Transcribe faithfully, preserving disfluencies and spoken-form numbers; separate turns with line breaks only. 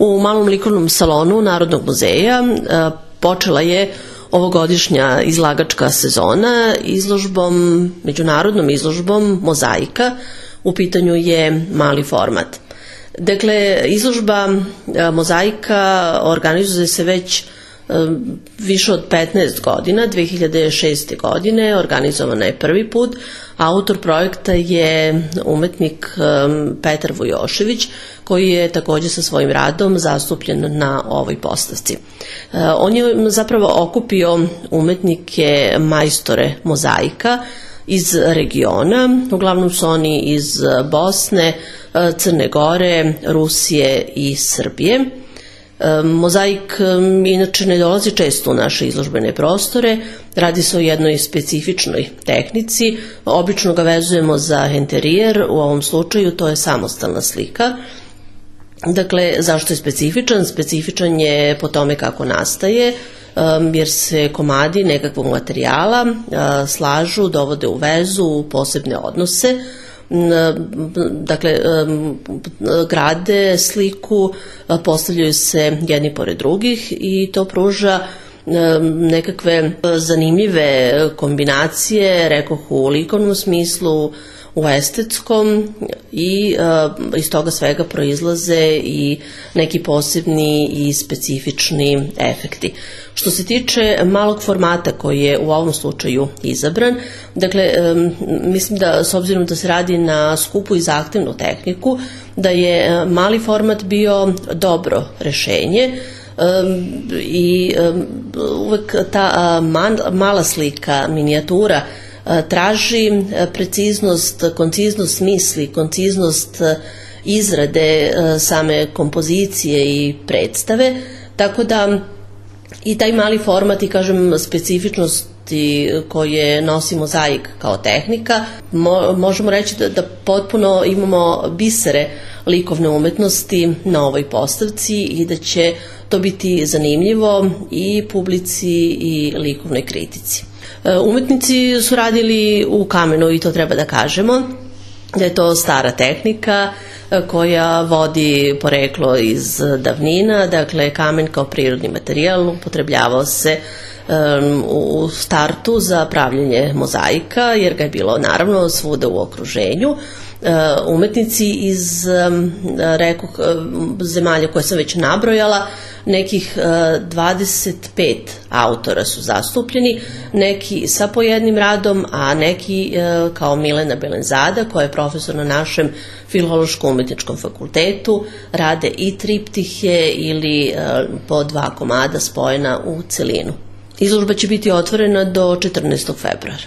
U Malom likovnom salonu Narodnog muzeja počela je ovogodišnja izlagačka sezona izložbom, međunarodnom izložbom Mozaika. U pitanju je mali format. Dakle, izložba Mozaika organizuje se već više od petnaest godina, dve hiljade šeste. godine, organizovana je prvi put. Autor projekta je umetnik Petar Vujošević, koji je takođe sa svojim radom zastupljen na ovoj postavci. On je zapravo okupio umetnike majstore mozaika iz regiona, uglavnom su oni iz Bosne, Crne Gore, Rusije i Srbije. Mozaik inače ne dolazi često u naše izložbene prostore, radi se o jednoj specifičnoj tehnici, obično ga vezujemo za enterijer, u ovom slučaju to je samostalna slika. Dakle, zašto je specifičan? Specifičan je po tome kako nastaje, jer se komadi nekakvog materijala slažu, dovode u vezu, u posebne odnose. Dakle, grade sliku, postavljaju se jedni pored drugih i to pruža nekakve zanimljive kombinacije, rekoh u likovnom smislu, u estetskom, i iz toga svega proizlaze i neki posebni i specifični efekti. Što se tiče malog formata koji je u ovom slučaju izabran, dakle, mislim da s obzirom da se radi na skupu i zahtevnu tehniku, da je mali format bio dobro rešenje i uvek ta mala slika, minijatura, traži preciznost, konciznost misli, konciznost izrade same kompozicije i predstave, tako da i taj mali format i, kažem, specifičnosti koje nosi mozaik kao tehnika, mo, možemo reći da, da potpuno imamo bisere likovne umetnosti na ovoj postavci i da će to biti zanimljivo i publici i likovnoj kritici. Umetnici su radili u kamenu i to treba da kažemo, da je to stara tehnika koja vodi poreklo iz davnina. Dakle, kamen kao prirodni materijal upotrebljavao se u startu za pravljenje mozaika, jer ga je bilo naravno svuda u okruženju. Umetnici iz, rekoh, zemalja koje sam već nabrojala, nekih dvadeset pet autora su zastupljeni, neki sa po jednim radom, a neki kao Milena Belenzada, koja je profesor na našem Filološko-umetničkom fakultetu, rade i triptihe ili po dva komada spojena u celinu. Izložba će biti otvorena do četrnaestog februara.